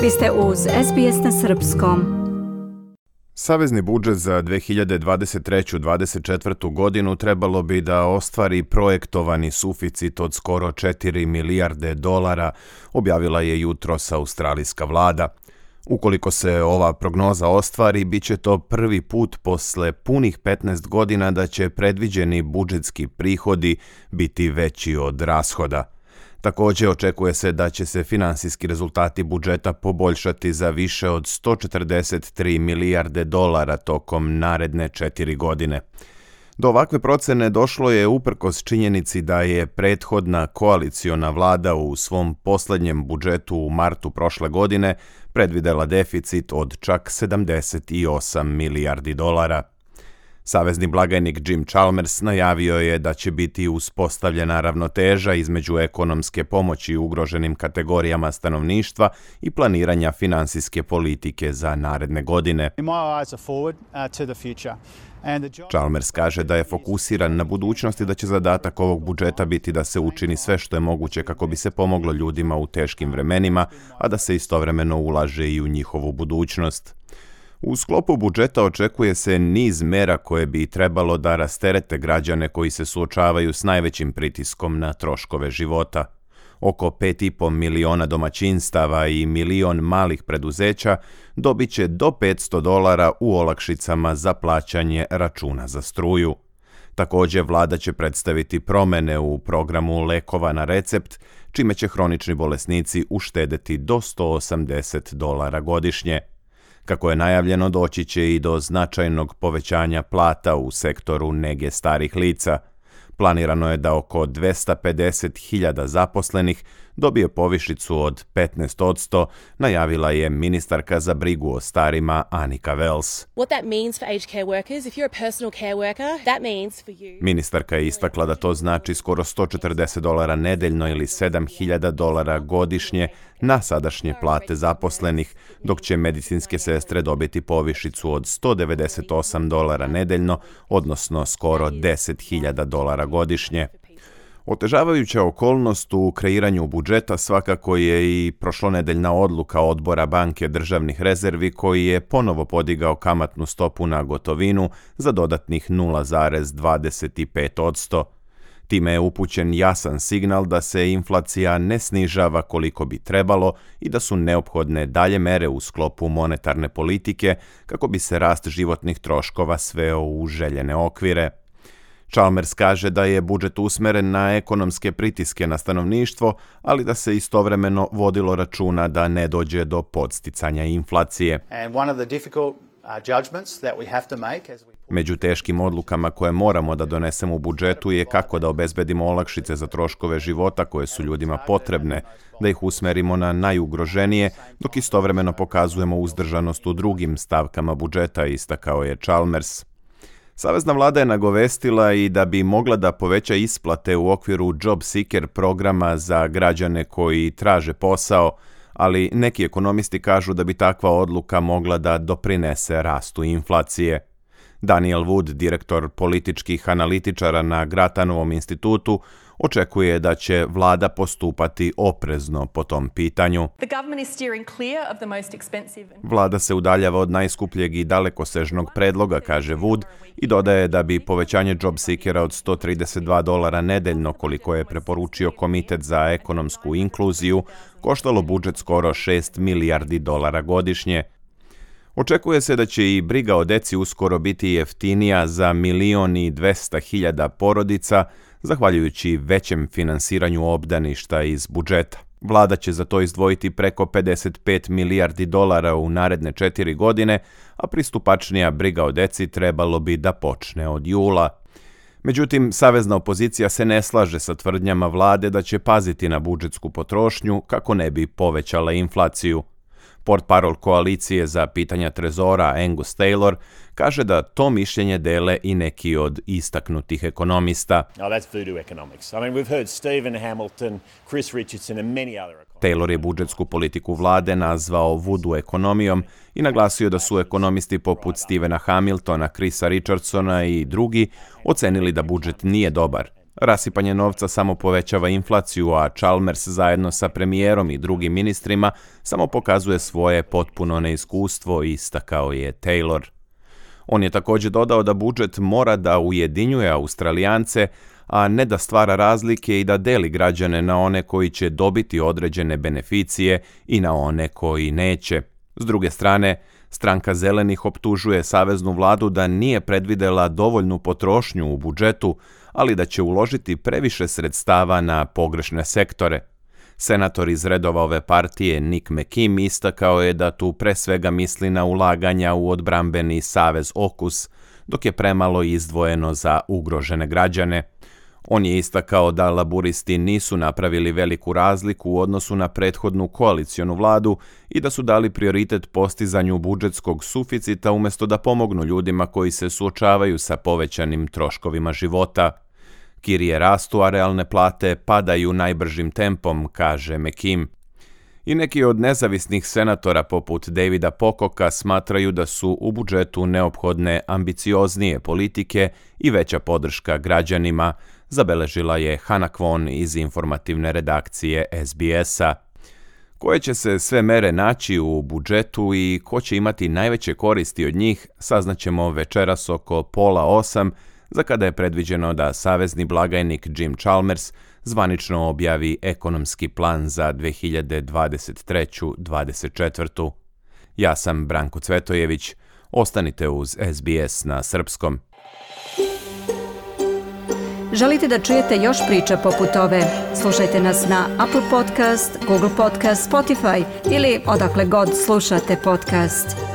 Vi ste uz SBS na srpskom. Savezni budžet za 2023-2024. godinu trebalo bi da ostvari projektovani suficit od skoro 4 milijarde dolara, objavila je jutros australijska vlada. Ukoliko se ova prognoza ostvari, bit će to prvi put posle punih 15 godina da će predviđeni budžetski prihodi biti veći od rashoda. Također očekuje se da će se finansijski rezultati budžeta poboljšati za više od 143 milijarde dolara tokom naredne 4 godine. Do ovakve procene došlo je uprkos činjenici da je prethodna koaliciona vlada u svom posljednjem budžetu u martu prošle godine predvidela deficit od čak 78 milijardi dolara. Savezni blagajnik Jim Chalmers najavio je da će biti uspostavljena ravnoteža između ekonomske pomoći ugroženim kategorijama stanovništva i planiranja finansijske politike za naredne godine. Chalmers kaže da je fokusiran na budućnost i da će zadatak ovog budžeta biti da se učini sve što je moguće kako bi se pomoglo ljudima u teškim vremenima, a da se istovremeno ulaže i u njihovu budućnost. U sklopu budžeta očekuje se niz mera koje bi trebalo da rasterete građane koji se suočavaju s najvećim pritiskom na troškove života. Oko 5,5 miliona domaćinstava i milion malih preduzeća dobit će do $500 u olakšicama za plaćanje računa za struju. Također, vlada će predstaviti promene u programu lekova na recept, čime će hronični bolesnici uštedeti do $180 godišnje. Kako je najavljeno, doći će i do značajnog povećanja plata u sektoru nege starih lica. Planirano je da oko 250.000 zaposlenih dobije povišicu od 15%, najavila je ministarka za brigu o starima Annika Wells. Ministarka je istakla da to znači skoro $140 nedeljno ili $7.000 godišnje na sadašnje plate zaposlenih, dok će medicinske sestre dobiti povišicu od $198 nedeljno, odnosno skoro $10.000 godišnje. Otežavajuća okolnost u kreiranju budžeta svakako je i prošlonedeljna odluka odbora Banke državnih rezervi koji je ponovo podigao kamatnu stopu na gotovinu za dodatnih 0,25%. Time je upućen jasan signal da se inflacija ne snižava koliko bi trebalo i da su neophodne dalje mere u sklopu monetarne politike kako bi se rast životnih troškova sveo u željene okvire. Chalmers kaže da je budžet usmeren na ekonomske pritiske na stanovništvo, ali da se istovremeno vodilo računa da ne dođe do podsticanja inflacije. Među teškim odlukama koje moramo da donesemo u budžetu je kako da obezbedimo olakšice za troškove života koje su ljudima potrebne, da ih usmerimo na najugroženije, dok istovremeno pokazujemo uzdržanost u drugim stavkama budžeta, istakao je Chalmers. Savezna vlada je nagovestila i da bi mogla da poveća isplate u okviru Job Seeker programa za građane koji traže posao, ali neki ekonomisti kažu da bi takva odluka mogla da doprinese rastu inflacije. Daniel Wood, direktor političkih analitičara na Gratanovom institutu, očekuje da će vlada postupati oprezno po tom pitanju. Vlada se udaljava od najskupljeg i dalekosežnog predloga, kaže Wood, i dodaje da bi povećanje Job Seekera od $132 nedeljno, koliko je preporučio Komitet za ekonomsku inkluziju, koštalo budžet skoro $6 milijardi godišnje. Očekuje se da će i briga o deci uskoro biti jeftinija za 1.200.000 porodica, zahvaljujući većem finansiranju obdaništa iz budžeta. Vlada će za to izdvojiti preko $55 milijardi u naredne 4 godine, a pristupačnija briga o deci trebalo bi da počne od jula. Međutim, savezna opozicija se ne slaže sa tvrdnjama vlade da će paziti na budžetsku potrošnju kako ne bi povećala inflaciju. Portparol koalicije za pitanja trezora Angus Taylor kaže da to mišljenje dele i neki od istaknutih ekonomista. Taylor je budžetsku politiku vlade nazvao voodoo ekonomijom i naglasio da su ekonomisti poput Stephena Hamiltona, Chrisa Richardsona i drugi ocenili da budžet nije dobar. Rasipanje novca samo povećava inflaciju, a Chalmers zajedno sa premijerom i drugim ministrima samo pokazuje svoje potpuno neiskustvo, istakao je Taylor. On je također dodao da budžet mora da ujedinjuje Australijance, a ne da stvara razlike i da deli građane na one koji će dobiti određene beneficije i na one koji neće. S druge strane, stranka Zelenih optužuje saveznu vladu da nije predvidela dovoljnu potrošnju u budžetu, ali da će uložiti previše sredstava na pogrešne sektore. Senator iz redova ove partije Nick McKim istakao je da tu pre svega misli na ulaganja u odbrambeni savez AUKUS, dok je premalo izdvojeno za ugrožene građane. On je istakao da laburisti nisu napravili veliku razliku u odnosu na prethodnu koalicionu vladu i da su dali prioritet postizanju budžetskog suficita umjesto da pomognu ljudima koji se suočavaju sa povećanim troškovima života. Kirije rastu, a realne plate padaju najbržim tempom, kaže McKim. I neki od nezavisnih senatora poput Davida Pococka smatraju da su u budžetu neophodne ambicioznije politike i veća podrška građanima, zabeležila je Hannah Kwon iz informativne redakcije SBS-a. Koje će se sve mere naći u budžetu i ko će imati najveće koristi od njih, saznaćemo večeras oko 7:30, za kada je predviđeno da savezni blagajnik Jim Chalmers zvanično objavi ekonomski plan za 2023-2024. Ja sam Branko Cvetojević. Ostanite uz SBS na srpskom. Želite da čujete još priča poput ove? Slušajte nas na Apple Podcast, Google Podcast, Spotify ili odakle god slušate podcast.